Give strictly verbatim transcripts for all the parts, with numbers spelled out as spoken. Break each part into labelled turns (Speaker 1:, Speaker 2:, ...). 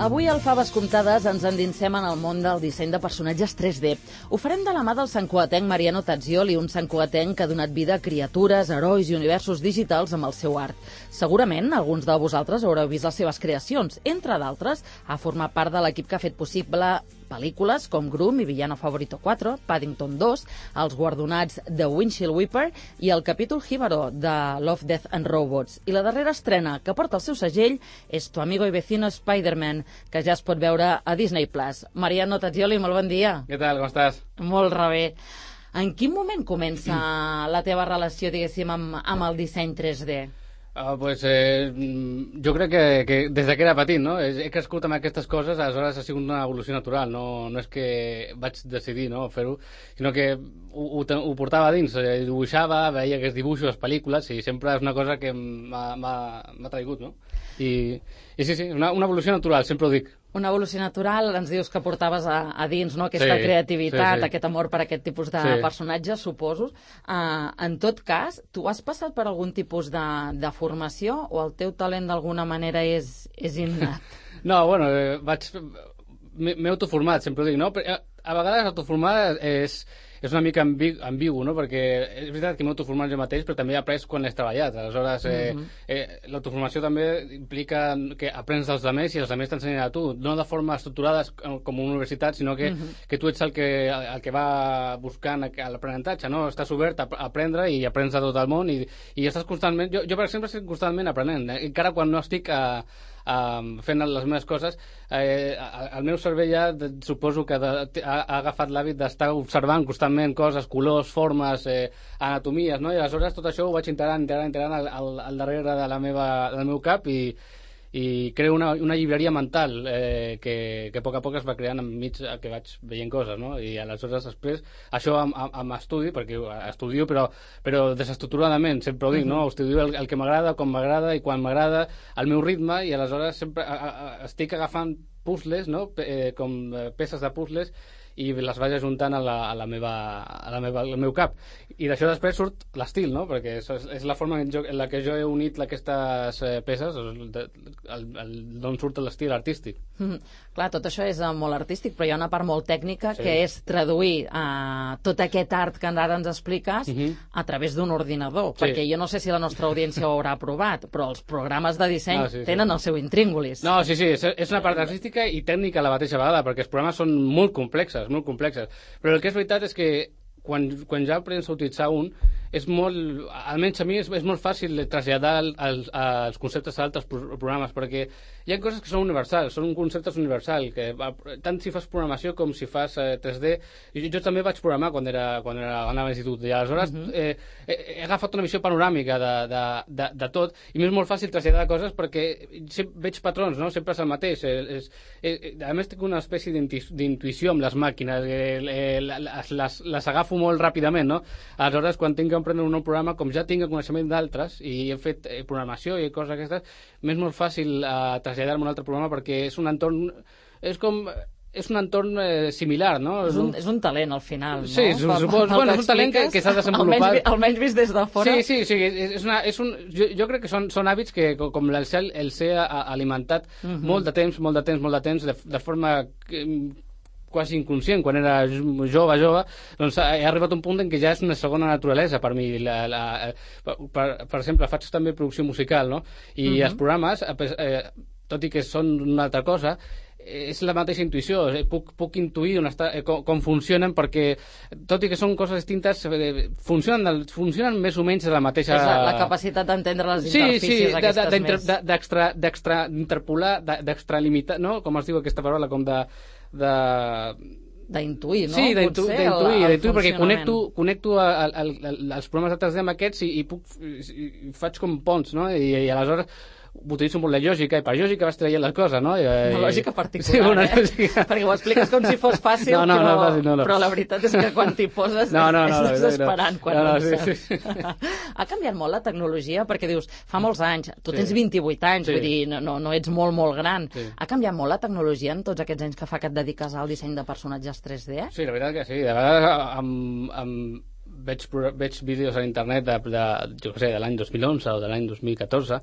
Speaker 1: Avui al Faves Comptades ens endinsem en el món del disseny de personatges tres D. Ho farem de la mà del santcugatenc Mariano Tazzioli, un santcugatenc que ha donat vida a criatures, herois i universos digitals amb el seu art. Segurament alguns de vosaltres haureu vist les seves creacions. Entre d'altres, ha format part de l'equip que ha fet possible pel·lícules com Groom i Villano Favorito quatre, Paddington dos, els guardonats de Windshield Wiper i el capítol Jíbaro de Love, Death and Robots. I la darrera estrena que porta el seu segell és Tu amigo y vecino Spider-Man, que ja es pot veure a Disney Plus. Mariano Tazzioli, molt bon dia.
Speaker 2: Què tal, com estàs?
Speaker 1: Molt rebé. En quin moment comença la teva relació, diguéssim, amb, amb el disseny tres D?
Speaker 2: Uh, pues, eh, jo crec que, que des que era petit, no? He crescut amb aquestes coses, aleshores ha sigut una evolució natural, no, no és que vaig decidir, no, fer-ho, sinó que ho, ho, ho portava dins, eh, dibuixava, veia aquests dibuixos, les pel·lícules, i sempre és una cosa que m'ha traigut, no? I, i sí, sí, una, una evolució natural, sempre ho dic.
Speaker 1: Una evolució natural, ens dius que portaves a, a dins, no?, aquesta sí, creativitat, sí, sí. Aquest amor per aquest tipus de sí. personatges, suposo. Uh, en tot cas, tu has passat per algun tipus de, de formació o el teu talent d'alguna manera és, és innat?
Speaker 2: No, bueno, eh, vaig... m'he autoformat, sempre ho dic, no? Però, a vegades autoformar és... és una mica ambigu, ambigu, no? Perquè és veritat que m'he autoformat jo mateix, però també he après quan he treballat. Aleshores, eh, mm-hmm. eh, l'autoformació també implica que aprens dels altres i els altres t'ensenyen a tu, no de forma estructurada com una universitat, sinó que, mm-hmm. que tu ets el que, el que va buscant l'aprenentatge, no? Estàs obert a aprendre i aprens de tot el món i, i estàs constantment... Jo, jo, per exemple, estic constantment aprenent, eh? Encara quan no estic a... Uh, fent les meves coses, eh, el meu cervell ja suposo que de, ha, ha agafat l'hàbit d'estar observant constantment coses, colors, formes, eh, anatomies, no? I aleshores tot això ho vaig integrant, integrant, integrant al, al, al darrere de la meva, del meu cap i, i creo una, una llibreria mental eh, que, que a poc a poc es va creant enmig que vaig veient coses, no? I aleshores després això amb, amb estudi, perquè estudio però, però desestructuradament, sempre ho dic, no? Estudio el, el que m'agrada, com m'agrada i quan m'agrada, al meu ritme, i aleshores sempre a, a, estic agafant puzzles, no? Eh, com peces de puzzles i les vaig ajuntant a la, a la meva, a la meva, al meu cap, i d'això després surt l'estil, no? Perquè és, és la forma en, jo, en la que jo he unit aquestes eh, peces, d'on surt l'estil artístic.
Speaker 1: Mm, clar, tot això és uh, molt artístic, però hi ha una part molt tècnica, sí, que és traduir uh, tot aquest art que ara ens expliques uh-huh. a través d'un ordinador, sí. Perquè jo no sé si la nostra audiència ho haurà provat, però els programes de disseny no, sí, tenen sí. el seu intríngulis.
Speaker 2: No, sí, sí, és, és una part artística i tècnica a la mateixa vegada, perquè els programes són molt complexes, molt complexes. Però el que és veritat és que quan, quan ja aprens a utilitzar un, és molt, almenys a mi és, és molt fàcil traslladar els, els conceptes a altres programes, perquè hi ha coses que són universals, són conceptes universals, que tant si fas programació com si fas eh, tres D. Jo, jo també vaig programar quan, era, quan era, anava a l'institut, i aleshores uh-huh. eh, he agafat una visió panoràmica de, de, de, de tot, i m'és molt fàcil traslladar coses perquè veig patrons, no? Sempre és el mateix. És, és, a més tinc una espècie d'intuïció amb les màquines, eh, les, les, les agafo molt ràpidament, no? Aleshores, quan tinc que emprendre un nou programa, com ja tinc el coneixement d'altres i he fet eh, programació i coses aquestes, m'és molt fàcil eh, traslladar-me a un altre programa perquè és un entorn, és com és un entorn eh, similar, no?
Speaker 1: És un, és un talent, al final, no?
Speaker 2: Sí, suposo, bueno, és un talent que, que s'ha desenvolupat.
Speaker 1: Almenys, almenys vist des de fora.
Speaker 2: Sí, sí, sí, és una, és un, jo, jo crec que són, són hàbits que, com el cel, el ser alimentat uh-huh. molt de temps, molt de temps, molt de temps, de, de forma quasi inconscient, quan era jove, jove, doncs he arribat a un punt en què ja és una segona naturalesa per mi. La, la, per, per exemple, faig també producció musical, no? I uh-huh. els programes, eh, tot i que són una altra cosa, és la mateixa intuïció, puc, puc intuir on està, eh, com, com funcionen, perquè tot i que són coses distintes eh, funcionen, funcionen més o menys de la mateixa...
Speaker 1: És la, la capacitat d'entendre les
Speaker 2: sí,
Speaker 1: interfícies
Speaker 2: sí,
Speaker 1: aquestes
Speaker 2: de, de,
Speaker 1: més...
Speaker 2: d'extra, d'extra, d'interpolar, d'extralimitar, no? Com es diu aquesta paraula, com de... de...
Speaker 1: d'intuir, no?
Speaker 2: Sí, d'intuir, d'intuir, perquè connecto, connecto a, a, a, a, als programes de tres D amb aquests i, i, puc, i, i faig com ponts, no? I, i aleshores utilitzo molt la lògica, i per lògica vas traient les coses, no? I,
Speaker 1: una lògica particular,
Speaker 2: sí, una
Speaker 1: eh?
Speaker 2: Lògica...
Speaker 1: perquè ho expliques com si fos fàcil,
Speaker 2: no, no,
Speaker 1: però,
Speaker 2: no, fàcil, no, no.
Speaker 1: però la veritat és que quan t'hi poses
Speaker 2: no, no, no,
Speaker 1: és desesperant.
Speaker 2: No, no, no, no, sí, sí.
Speaker 1: Ha canviat molt la tecnologia, perquè dius, fa molts anys, tu tens
Speaker 2: sí.
Speaker 1: vint-i-vuit anys, sí. vull dir, no, no, no ets molt, molt gran.
Speaker 2: Sí.
Speaker 1: Ha canviat molt la tecnologia en tots aquests anys que fa que et dediques al disseny de personatges tres D?
Speaker 2: Sí, la veritat que sí. De vegades amb, amb... Veig, veig vídeos a internet de, de, jo què sé, de l'any dos mil onze o de l'any dos mil catorze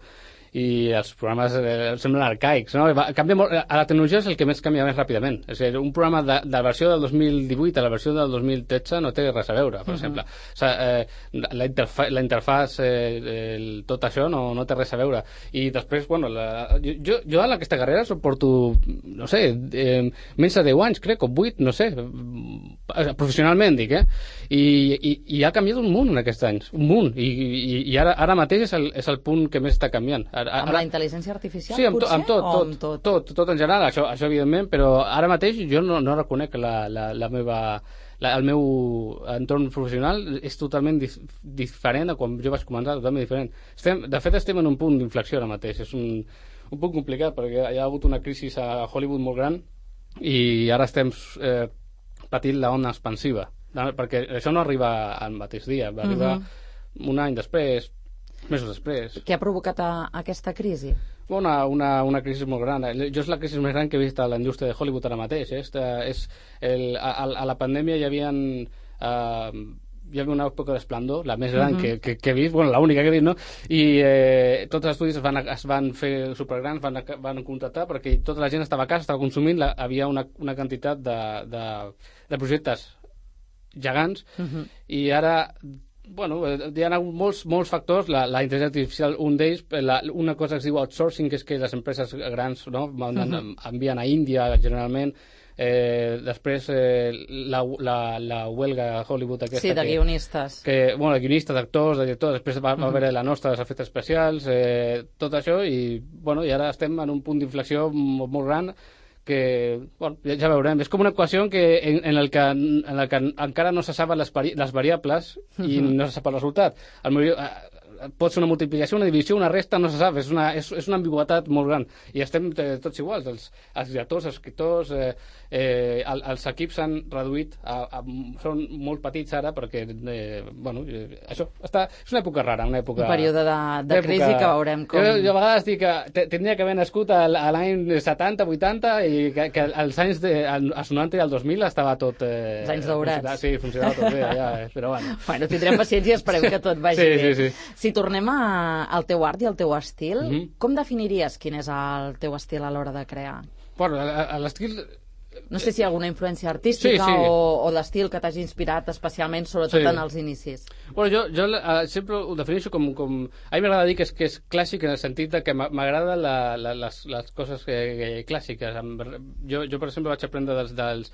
Speaker 2: i els programes eh, semblen arcaics, no? Va, canvia molt, a la tecnologia és el que més canvia més ràpidament. És a dir, un programa de, de la versió del dos mil divuit a la versió del dos mil tretze no té res a veure, per uh -huh. exemple. O sigui, eh, la, interfa la interfàs, eh, el, tot això no, no té res a veure. I després, bueno, la, jo, jo en aquesta carrera suporto, no sé, eh, menys de deu anys, crec, o vuit, no sé, professionalment, dic, eh? I, i, i ha canviat un munt en aquests anys, un munt. I, i, i ara, ara mateix és el, és el punt que més està canviant. Ara,
Speaker 1: amb la intel·ligència artificial,
Speaker 2: sí, amb,
Speaker 1: potser?
Speaker 2: amb tot,
Speaker 1: o
Speaker 2: tot,
Speaker 1: amb tot?
Speaker 2: tot, tot en general, això, això evidentment, però ara mateix jo no, no reconec la, la, la meva... La, el meu entorn professional és totalment dif diferent a quan jo vaig començar, totalment diferent. Estem, de fet, estem en un punt d'inflexió ara mateix. És un, un punt complicat perquè hi ha hagut una crisi a Hollywood molt gran i ara estem eh, patint l'ona expansiva, perquè això no arriba al mateix dia, va arribar uh -huh. un any després, mesos després.
Speaker 1: Què ha provocat a, a aquesta crisi?
Speaker 2: Una, una, una crisi molt gran. Jo és la crisi més gran que he vist a la indústria de Hollywood ara mateix. Eh? És el, a, a la pandèmia hi havia, uh, hi havia una època d'esplendor, la més gran uh -huh. que, que, que he vist, bueno, l'única que he vist, no? I eh, tots els estudis es van, es van fer supergrans, van, van contractar, perquè tota la gent estava a casa, estava consumint, la, havia una, una quantitat de, de, de projectes gegants, uh -huh. i ara... Bueno, hi ha molts, molts factors, la, la intel·ligència artificial, un d'ells, una cosa que es diu outsourcing, que és que les empreses grans, no, uh-huh. envien a Índia, generalment, eh, després eh, la, la, la huelga a Hollywood aquesta...
Speaker 1: Sí, de
Speaker 2: que,
Speaker 1: guionistes.
Speaker 2: Que, bueno, de guionistes, d'actors, de directors, després va, va uh-huh. haver la nostra dels efectes especials, eh, tot això, i, bueno, i ara estem en un punt d'inflexió molt, molt gran, que, bueno, ja veurem, és com una equació en, que, en, en, el que, en el que encara no se saben les, les variables i no se sap el resultat. El millor, eh, pot ser una multiplicació, una divisió, una resta, no se sap, és una, és, és una ambigüetat molt gran, i estem eh, tots iguals, els, els directors, els escriptors, eh, eh, el, els equips s'han reduït, a, a, són molt petits ara, perquè, eh, bueno, eh, això, està, és una època rara, una època...
Speaker 1: Un període de, de crisi que veurem com...
Speaker 2: Jo, jo a vegades dic que tindria que haver nascut a l'any setanta, vuitanta, i que, que als anys de, als noranta i al dos mil estava tot... Eh,
Speaker 1: els anys daurats.
Speaker 2: Sí, funcionava tot bé, ja, eh, però bueno.
Speaker 1: Bueno, tindrem paciència i esperem que tot vagi
Speaker 2: sí,
Speaker 1: bé.
Speaker 2: Sí, sí.
Speaker 1: Si tornem a, al teu art i al teu estil, mm -hmm. com definiries quin és el teu estil a l'hora de crear?
Speaker 2: Bueno, l'estil...
Speaker 1: No sé si hi ha alguna influència artística sí, sí. o, o l'estil que t'hagi inspirat especialment, sobretot sí. en els inicis.
Speaker 2: Bueno, jo, jo uh, sempre ho defineixo com... com... A mi m'agrada dir que és, que és clàssic en el sentit de que m'agraden les, les coses que, que, clàssiques. Jo, jo, per exemple, vaig aprendre dels... dels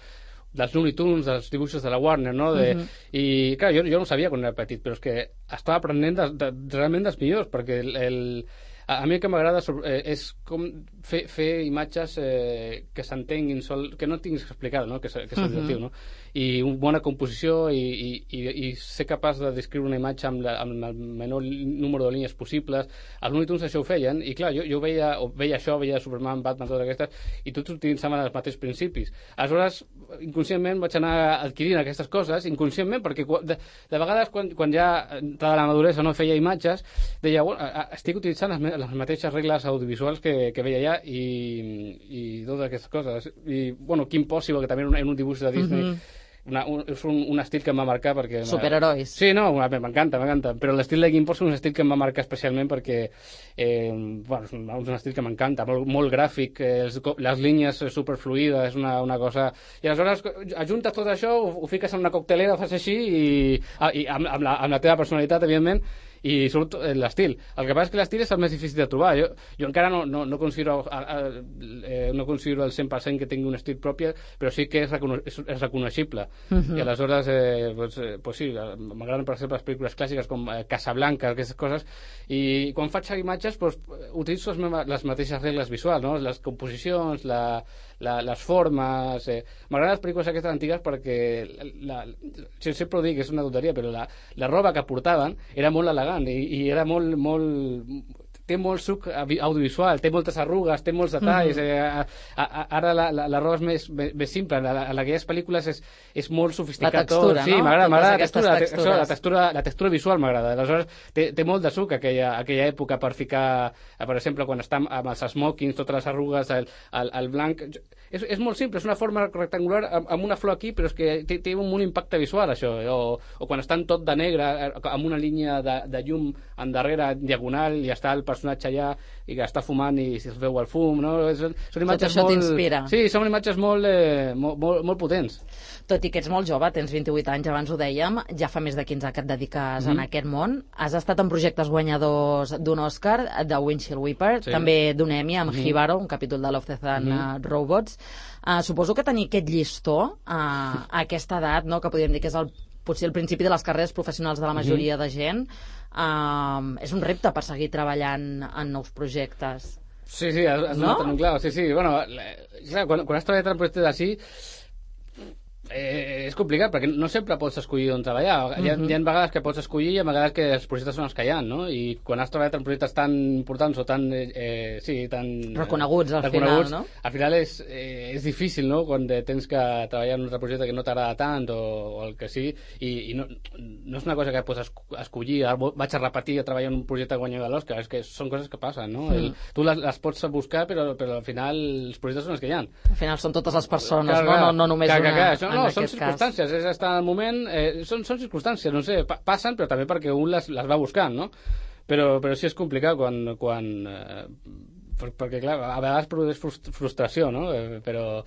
Speaker 2: dels Looney Tunes, dels dibuixos de la Warner, no? De, uh -huh. I, clar, jo, jo no ho sabia quan era petit, però és que estava aprenent de, de, realment dels millors, perquè el, el, a, a mi el que m'agrada eh, és com fer, fer imatges eh, que s'entenguin, que no tinguis que explicar, no? Que, que és uh -huh. divertiu, no? I una bona composició i, i, i, i ser capaç de descriure una imatge amb, la, amb el menor número de línies possibles. Els Looney Tunes això ho feien, i clar, jo, jo veia, veia això, veia Superman, Batman, totes aquestes, i tots utilitzaven els mateixos principis. Aleshores, inconscientment vaig anar adquirint aquestes coses, inconscientment, perquè de, de vegades quan, quan ja entrada la maduresa no feia imatges, deia, bueno, estic utilitzant les, les mateixes regles audiovisuals que, que veia ja, i, i totes aquestes coses. I, bueno, Kim Possible, que també en un dibuix de Disney, uh -huh. Una, un, és un, un estil que em va marcar perquè...
Speaker 1: Superherois.
Speaker 2: Sí, no, m'encanta, m'encanta, però l'estil de Kim Possible és un estil que em va marcar especialment perquè eh, bueno, és un, és un estil que m'encanta, molt, molt gràfic, eh, els, les línies superfluïdes, és una, una cosa... I aleshores ajuntes tot això, ho, ho fiques en una coctelera, ho fas així, i, i amb, amb, la, amb la teva personalitat, evidentment, i surt l'estil. El que passa és que l'estil és el més difícil de trobar. Jo, jo encara no, no, no, considero, eh, no considero el cent per cent que tingui un estil propi, però sí que és, recono és, és reconeixible. Uh -huh. I aleshores, eh, pues, eh, pues sí, m'agraden, per exemple, les pel·lícules clàssiques com eh, Casablanca, aquestes coses, i quan faig imatges, pues, utilitzo les, meves, les mateixes regles visuals, no? Les composicions, la, la, les formes... Eh. M'agraden les pel·lícules aquestes antigues perquè, la, la, sempre ho dic, és una tonteria, però la, la roba que portaven era molt elegant, I, i era molt, molt té molt suc audiovisual, té moltes arrugues, té molts detalls, mm-hmm. eh, a, a, ara la, la, la roba és més, més, més simple, en, en aquelles pel·lícules és, és molt sofisticat.
Speaker 1: La textura,
Speaker 2: tot. Sí,
Speaker 1: no?
Speaker 2: m'agrada, m'agrada la textura, la, textura, la, textura, la textura visual m'agrada, aleshores té, té molt de suc aquella, aquella època per ficar, per exemple, quan està amb els smokings, totes les arrugues, el, el, el blanc, és, és molt simple, és una forma rectangular amb, amb una flor aquí, però és que té, té un, un impacte visual això, o, o quan estan tot de negre, amb una línia de, de llum en darrere, diagonal, i està el personatge allà i que està fumant i es veu el fum, no? Són, són imatges
Speaker 1: Tot això
Speaker 2: molt...
Speaker 1: t'inspira.
Speaker 2: Sí, són imatges molt, eh, molt, molt, molt potents.
Speaker 1: Tot i que ets molt jove, tens vint-i-vuit anys, abans ho dèiem, ja fa més de quinze que et dediques mm. en aquest món. Has estat en projectes guanyadors d'un Oscar, de Windshield Wiper, sí. també d'un Emmy, amb mm. Hibaro, un capítol de Love, Death and mm. Robots. Uh, suposo que tenir aquest llistó uh, a aquesta edat, no, que podríem dir que és el, potser el principi de les carreres professionals de la majoria mm. de gent, uh, és un repte per seguir treballant en nous projectes.
Speaker 2: Sí, sí, has, has no? donat clar. Sí, sí, bueno, clar, quan, quan has treballat en projectes així, Eh, és complicat perquè no sempre pots escollir on treballar. Uh-huh. Hi, ha, hi ha vegades que pots escollir i a vegades que els projectes són els que hi ha, no? I quan has treballat en projectes tan importants o tan eh, sí, tan
Speaker 1: reconeguts al
Speaker 2: reconeguts,
Speaker 1: final, no?
Speaker 2: Al final és, eh, és difícil, no? Quan tens que treballar en un altre projecte que no t'agrada tant o, o el que sí, i, i no, no és una cosa que pots escollir, vaig a repetir a treballar en un projecte guanyador de l'Oscar, és que són coses que passen, no? Mm. El, tu les, les pots buscar, però, però al final els projectes són els que hi ha.
Speaker 1: Al final són totes les persones, clar, no? No, no només
Speaker 2: clar,
Speaker 1: una...
Speaker 2: Clar, això, no, són circumstàncies, cas. És estar al moment, eh, són, són circumstàncies, no sé, pa passen, però també perquè un les, les va buscant, no? Però, però sí és complicat quan... quan eh, perquè, clar, a vegades produeix frustració, no? Eh, però,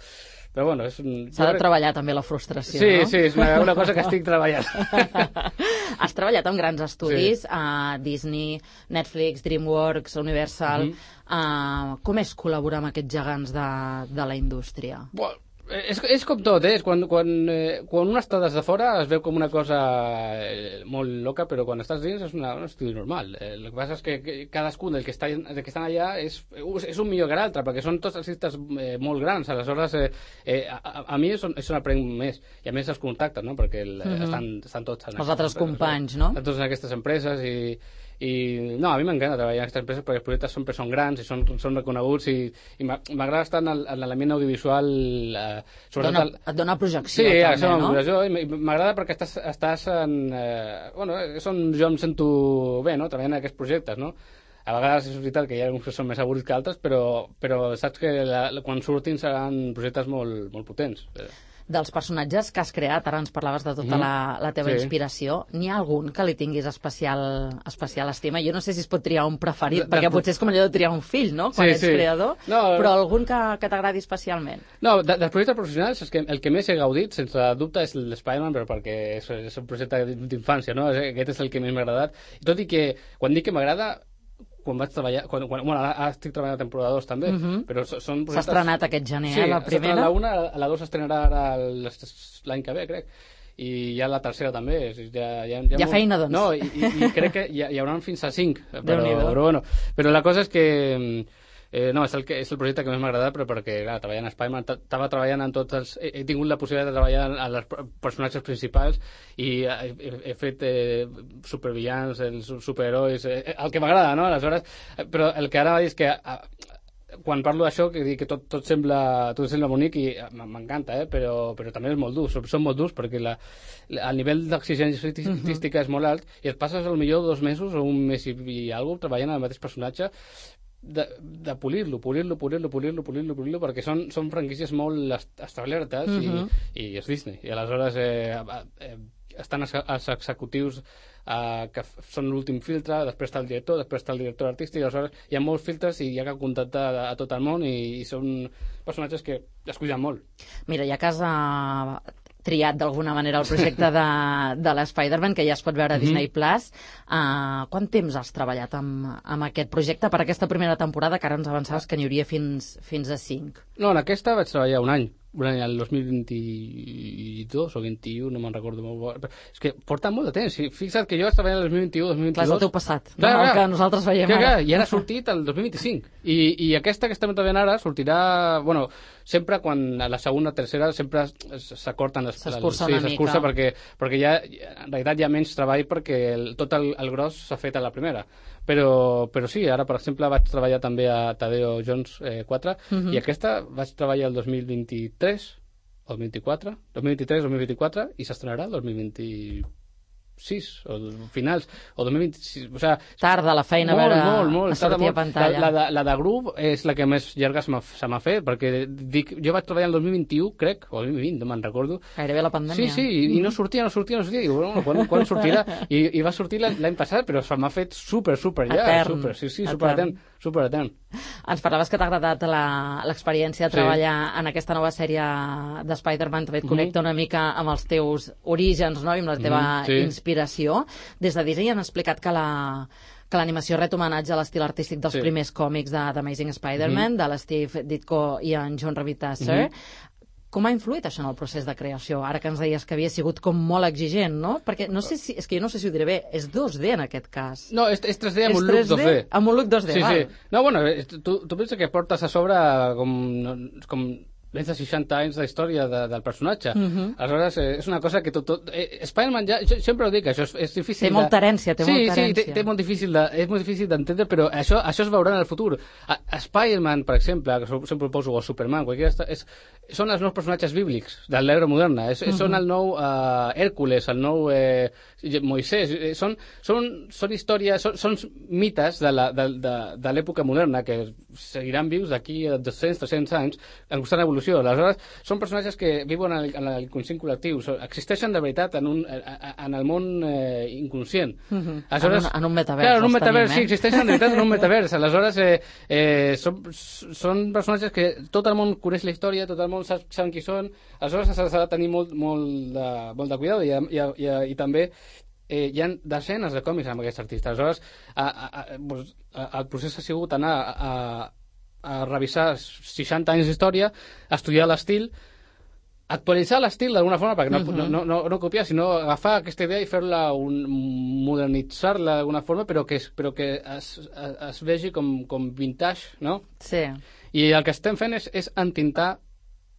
Speaker 2: però bueno...
Speaker 1: S'ha de treballar també la frustració,
Speaker 2: sí,
Speaker 1: no?
Speaker 2: Sí, sí, és una, una cosa que estic treballant.
Speaker 1: Has treballat amb grans estudis, sí. a Disney, Netflix, DreamWorks, Universal... Mm-hmm. Uh, com és col·laborar amb aquests gegants de, de la indústria?
Speaker 2: Bueno, és, és com tot, eh? Quan, quan, eh, quan un està des de fora es veu com una cosa eh, molt loca, però quan estàs dins és una, un estudi normal. Eh, el que passa és que, que cadascun del que, està, del que estan allà és, és un millor que l'altre, perquè són tots artistes eh, molt grans. Aleshores, eh, eh, a, a mi és on, és on aprenc més. I a més els contactes, no? Perquè el, mm-hmm. estan, estan tots...
Speaker 1: Els altres companys, no?
Speaker 2: Estan tots en aquestes empreses i... i no, a mi m'encanta treballar en aquestes empreses perquè els projectes sempre són grans i són, són reconeguts i, i m'agrada estar en l'element audiovisual eh,
Speaker 1: dona, el... et dona projecció
Speaker 2: sí,
Speaker 1: també,
Speaker 2: sí,
Speaker 1: no?
Speaker 2: Sí, m'agrada perquè estàs, estàs en eh, bueno, és on jo em sento bé, no? Treballant en aquests projectes, no? A vegades és veritat que hi ha alguns que són més avorrits que altres, però, però saps que la, quan surtin seran projectes molt, molt potents.
Speaker 1: Dels personatges que has creat, ara ens parlaves de tota mm. la, la teva sí. inspiració, n'hi ha algun que li tinguis especial, especial estima? Jo no sé si es pot triar un preferit, de, perquè de... potser és com allò de triar un fill, no?, quan sí, ets sí. creador, no, però algun que, que t'agradi especialment.
Speaker 2: No, de, dels projectes professionals és que el que més he gaudit, sense dubte, és l'Spider-Man, però perquè és, és un projecte d'infància, no? Aquest és el que més m'ha agradat. I tot i que, quan dic que m'agrada, quan vaig treballar, quan, quan, bueno, ara estic treballant a temporada dos també, uh-huh. però són projectes...
Speaker 1: S'ha estrenat aquest gener,
Speaker 2: sí,
Speaker 1: eh, la primera?
Speaker 2: Sí, la una, la dos s'estrenarà ara l'any que ve, crec, i ja la tercera també. Ja, ja, ja,
Speaker 1: ja feina, doncs.
Speaker 2: No, i, i, i crec que hi, hi haurà fins a cinc, però, però, bueno, però la cosa és que... Eh, no, és el, que, és el projecte que més m'ha agradat, però perquè, clar, treballant a Spider-Man, estava treballant en tots els... He, he tingut la possibilitat de treballar en els personatges principals i he, he fet eh, supervillans, els superherois, eh, el que m'agrada, no? Aleshores, però el que ara va dir és que a, quan parlo d'això, que dic que tot, tot, sembla, tot sembla bonic i m'encanta, eh? però, però també és molt dur, són molt durs perquè la, la, el nivell d'exigència artística és molt alt i et passes potser dos mesos o un mes i, i alguna cosa treballant en el mateix personatge de, de polir-lo, polir-lo, polir-lo, polir-lo, polir-lo, polir-lo, perquè són, són franquícies molt establertes uh-huh. i, i és Disney. I aleshores eh, eh, estan els executius eh, que són l'últim filtre, després està el director, després està el director artístic, i aleshores hi ha molts filtres i hi ha que contactar a, a tot el món i, i són personatges que es cuiden molt.
Speaker 1: Mira, ja que has uh, triat d'alguna manera el projecte de, de l'Spider-Man, que ja es pot veure a Disney Plus, uh, quant temps has treballat amb, amb aquest projecte per aquesta primera temporada, que ara ens avançaves que n'hi hauria fins, fins a cinc?
Speaker 2: No, en aquesta vaig treballar un any. Un any, el dos mil vint-i-dos o vint-i-u, no me'n recordo molt. Però és que porta molt de temps. Fixa't que jo vaig treballar el dos mil vint-i-u, dos mil vint-i-dos...
Speaker 1: Clar, és el teu passat,
Speaker 2: clar,
Speaker 1: no?
Speaker 2: Clar,
Speaker 1: el que nosaltres veiem
Speaker 2: clar,
Speaker 1: ara.
Speaker 2: Clar, i ara ha sortit el dos mil vint-i-cinc. I, i aquesta que estem treballant ara sortirà... Bueno, sempre quan a la segona o tercera sempre s'acorten...
Speaker 1: S'escurça
Speaker 2: sí,
Speaker 1: una mica.
Speaker 2: S'escurça perquè, perquè ja, en realitat hi ha menys treball perquè el, tot el, el gros s'ha fet a la primera. Però, però sí, ara, per exemple, vaig treballar també a Tadeo Jones eh, quatre uh-huh. i aquesta vaig treballar el dos mil vint-i-tres o dos mil vint-i-quatre, dos mil vint-i-tres dos mil vint-i-quatre i s'estrenarà el dos mil vint-i-quatre. sis o finals, o dos mil vint-sis, o sigui...
Speaker 1: Tarda la feina
Speaker 2: molt,
Speaker 1: a veure
Speaker 2: molt, molt,
Speaker 1: a sortir a pantalla.
Speaker 2: La, la, de, la de Groove és la que més llarga se m'ha fet, perquè dic, jo vaig treballar el dos mil vint-i-u, crec, o el dos mil vint, no me'n recordo.
Speaker 1: Gairebé la pandèmia.
Speaker 2: Sí, sí, i, i no sortia, no sortia, no sortia, i bueno, quan, quan sortirà? I, I va sortir l'any passat, però se m'ha fet super, super ja,
Speaker 1: etern.
Speaker 2: super, sí, sí, super etern, super etern.
Speaker 1: Ens parlaves que t'ha agradat l'experiència de treballar sí. en aquesta nova sèrie de Spider-Man, també et connecta mm -hmm. una mica amb els teus orígens, no?, i amb la teva mm -hmm, sí. inspiració. Des de Disney han explicat que la que l'animació ret homenatge a l'estil artístic dels sí. primers còmics de d'Amazing Spider-Man, mm -hmm. de l'Steve Ditko i en John Romita Sr. Mm -hmm. Com ha influït això en el procés de creació? Ara que ens deies que havia sigut com molt exigent, no? Perquè no sé si, és que jo no sé si ho diré bé, és dos D en aquest cas.
Speaker 2: No, és, és tres D amb un look dos D.
Speaker 1: Amb un look dos D,
Speaker 2: sí,
Speaker 1: val.
Speaker 2: Sí. No, bueno, tu, tu penses que portes a sobre com... com més de seixanta anys d'història de, del personatge. Uh -huh. Aleshores, eh, és una cosa que tot... tot eh, Spider-Man, ja, jo sempre ho dic, això és, és difícil...
Speaker 1: Té molta herència, té
Speaker 2: sí,
Speaker 1: molta
Speaker 2: sí,
Speaker 1: herència.
Speaker 2: Sí, té, té molt difícil de, és molt difícil d'entendre, però això, això es veurà en el futur. A, a Spider-Man, per exemple, que sempre ho poso, o Superman, qualsevol, és, són els nous personatges bíblics de l'era moderna. És, uh -huh. Són el nou uh, Hèrcules, el nou eh, Moisès. Eh, són, són, són històries, són, són mites de la, de, de, de l'època moderna que seguiran vius d'aquí a dos-cents, tres-cents anys en constant evolució. Aleshores, són personatges que viuen en l'inconscient col·lectiu, existeixen de veritat en, un, en el món eh, inconscient.
Speaker 1: Uh -huh. Aleshores, en, un, en un metavers.
Speaker 2: Clar, en un metavers,
Speaker 1: tenim, eh?
Speaker 2: sí, existeixen de veritat en un metavers. Aleshores, eh, eh, són, són personatges que tot el món coneix la història, tot el món sap, sap qui són, aleshores s'ha de tenir molt, molt, de, molt de cuidado i, i, i, i també eh, hi ha desenes de còmics amb aquests artistes. Aleshores, a, a, a, doncs, a, el procés ha sigut anar a, a a revisar seixanta anys d'història, estudiar l'estil, actualitzar l'estil d'alguna forma, perquè no, uh-huh. no, no, no, no copiar, sinó agafar aquesta idea i fer-la, modernitzar-la d'alguna forma, però que, però que es, es, es vegi com, com vintage, no?
Speaker 1: Sí.
Speaker 2: I el que estem fent és, és entintar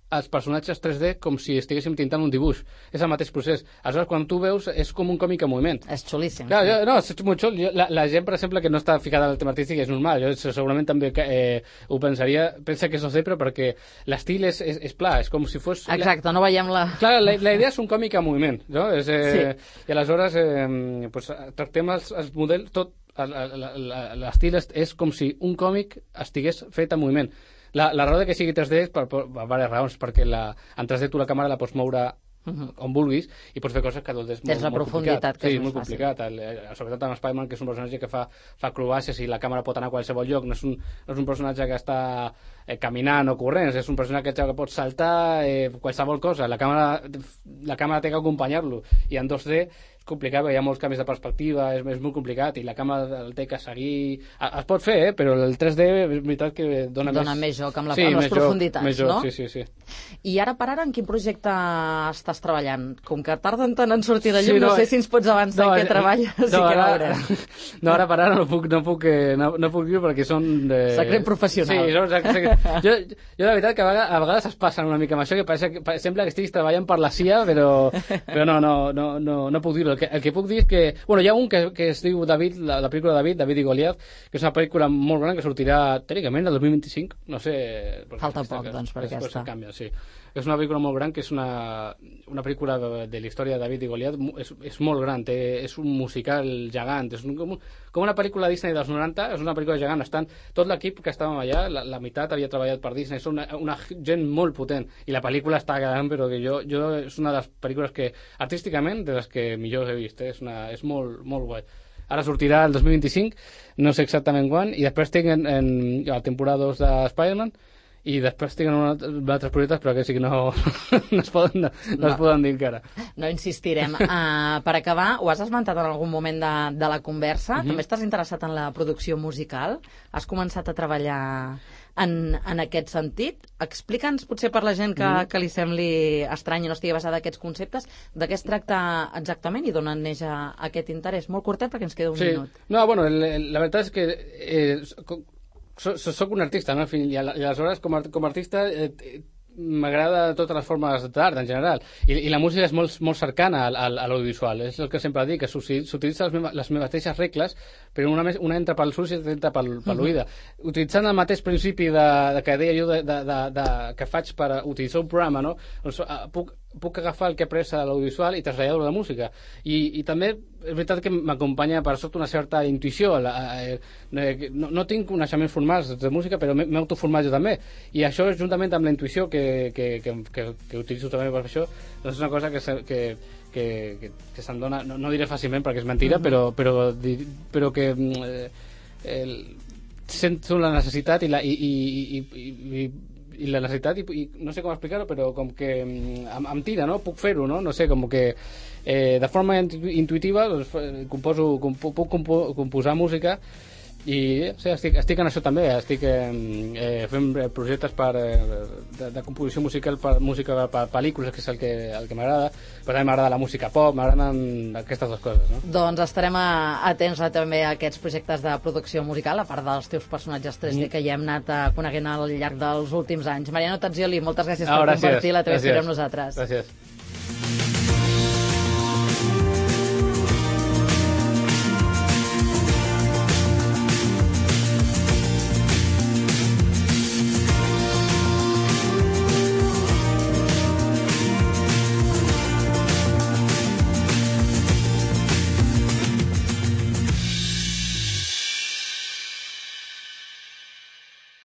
Speaker 2: els personatges tres D com si estiguéssim tintant un dibuix. És el mateix procés. Aleshores, quan tu veus, és com un còmic en moviment.
Speaker 1: És xulíssim.
Speaker 2: Clar, jo, no, és molt xul. Jo, la, la gent, per exemple, que no està ficada en el tema artístic és normal. Jo segurament també eh, ho pensaria, pensa que és dos D, però perquè l'estil és, és, és pla, és com si fos...
Speaker 1: Exacte, la... no veiem la...
Speaker 2: Clar, la, la idea és un còmic en moviment, no? És, eh, sí. I aleshores eh, pues, tractem els, els models, tot, l'estil és, és com si un còmic estigués fet en moviment. La, la raó de que sigui tres D és per, per, per diverses raons, perquè la, en tres D tu la càmera la pots moure uh-huh. on vulguis i pots fer coses que dos D és molt,
Speaker 1: la
Speaker 2: molt
Speaker 1: profunditat
Speaker 2: complicat.
Speaker 1: Que
Speaker 2: sí,
Speaker 1: és
Speaker 2: molt
Speaker 1: fàcil.
Speaker 2: complicat. El, el, sobretot amb Spider-Man, que és un personatge que fa, fa acrobàcies i la càmera pot anar a qualsevol lloc. No és un, no és un personatge que està eh, caminant o corrent, és un personatge que pot saltar eh, qualsevol cosa. La càmera, la càmera té que acompanyar-lo. I en dos D complicat, hi ha molts canvis de perspectiva, és, és molt complicat, i la càmera el té que seguir... Es pot fer, eh? Però el tres D és veritat que dona,
Speaker 1: dona
Speaker 2: més...
Speaker 1: més joc amb, la,
Speaker 2: sí,
Speaker 1: amb les profunditats,
Speaker 2: més joc,
Speaker 1: no?
Speaker 2: Sí, sí, sí.
Speaker 1: I ara per ara en quin projecte estàs treballant? Com que tarden tant en sortir de llum, sí, no, no sé si ens pots avançar
Speaker 2: no,
Speaker 1: en què treballes no, i què
Speaker 2: ara, no, ara per ara no puc, no puc, no, no puc dir perquè són... De...
Speaker 1: Secret professional.
Speaker 2: Sí, són secret... jo, jo de veritat que a vegades, a vegades es passen una mica amb això, que pareix, que sembla que estiguis treballant per la C I A, però, però no, no, no, no, no puc dir-ho. El, que, el que puc dir és que... Bueno, hi ha un que, que es diu David, la, la pel·lícula de David, David i Goliat, que és una pel·lícula molt gran que sortirà tècnicament el dos mil vint-i-cinc, no sé...
Speaker 1: Falta poc, que, doncs, per
Speaker 2: després
Speaker 1: aquesta.
Speaker 2: Canvia, sí. És una pel·lícula molt gran, que és una, una pel·lícula de, de la història de David i Goliat, és, és molt gran, té, és un musical gegant, és un, com, com una pel·lícula Disney dels noranta, és una pel·lícula gegant, estan tot l'equip que estàvem allà, la, la meitat havia treballat per Disney, és una, una gent molt potent, i la pel·lícula està quedant, però que jo, jo és una de les pel·lícules que, artísticament, de les que millor he vist, eh? és, una, és molt, molt guai. Ara sortirà el dos mil vint-i-cinc, no sé exactament quan, i després tinc en, en la temporada dos de Spider-Man, i després tinc una, altres projectes, però que sí que no, no, es, poden, no, no, no es poden dir encara.
Speaker 1: No insistirem. Uh, per acabar, ho has esmentat en algun moment de, de la conversa, uh-huh. també estàs interessat en la producció musical? Has començat a treballar en, en aquest sentit? Explica'ns, potser per la gent que, uh-huh. que li sembli estrany i no estigui basada en aquests conceptes, de què es tracta exactament i d'on neix aquest interès? Molt curtet perquè ens queda un
Speaker 2: sí.
Speaker 1: minut.
Speaker 2: No, bueno, la veritat és que... Eh, soc un artista, no? I aleshores com a, com a artista eh, m'agrada totes les formes d'art en general, i, i la música és molt, molt cercana a, a, a l'audiovisual, és el que sempre dic, que s'utilitzen les, les mateixes regles, però una, una entra pels ulls i l'altra entra pel, per l'oïda. Uh-huh. Utilitzant el mateix principi de, de que deia jo de, de, de, de, que faig per utilitzar un programa, no? Doncs, puc puc agafar el que he après a l'audiovisual i traslladar-ho a la música. I, i també és veritat que m'acompanya per sort una certa intuïció. La, eh, no, no tinc coneixements formals de música, però m'he autoformat jo també. I això, juntament amb la intuïció que, que, que, que, que utilitzo també per això, doncs és una cosa que, que, que, que, que se'm dona, no, no diré fàcilment perquè és mentira, mm-hmm. però, però, però que eh, el, sento la necessitat i la, i, i, i, i, i la necessitat i, i no sé com explicar-ho, però com que em, em tira, no? Puc fer-ho, no? No sé, com que eh, de forma intuïtiva doncs, composo, compo, puc compo, composar música i sí, estic, estic en això també, estic eh, fent projectes per, eh, de, de composició musical per música per pel·lícules, que és el que, el que m'agrada, però també m'agrada la música pop, m'agraden aquestes dues coses, no?
Speaker 1: Doncs estarem atents a, també a aquests projectes de producció musical, a part dels teus personatges tres D mm. que ja hem anat coneguent al llarg dels últims anys. Mariano Tazzioli, moltes gràcies ah, per gràcies, compartir la teva història amb nosaltres.
Speaker 2: Gràcies.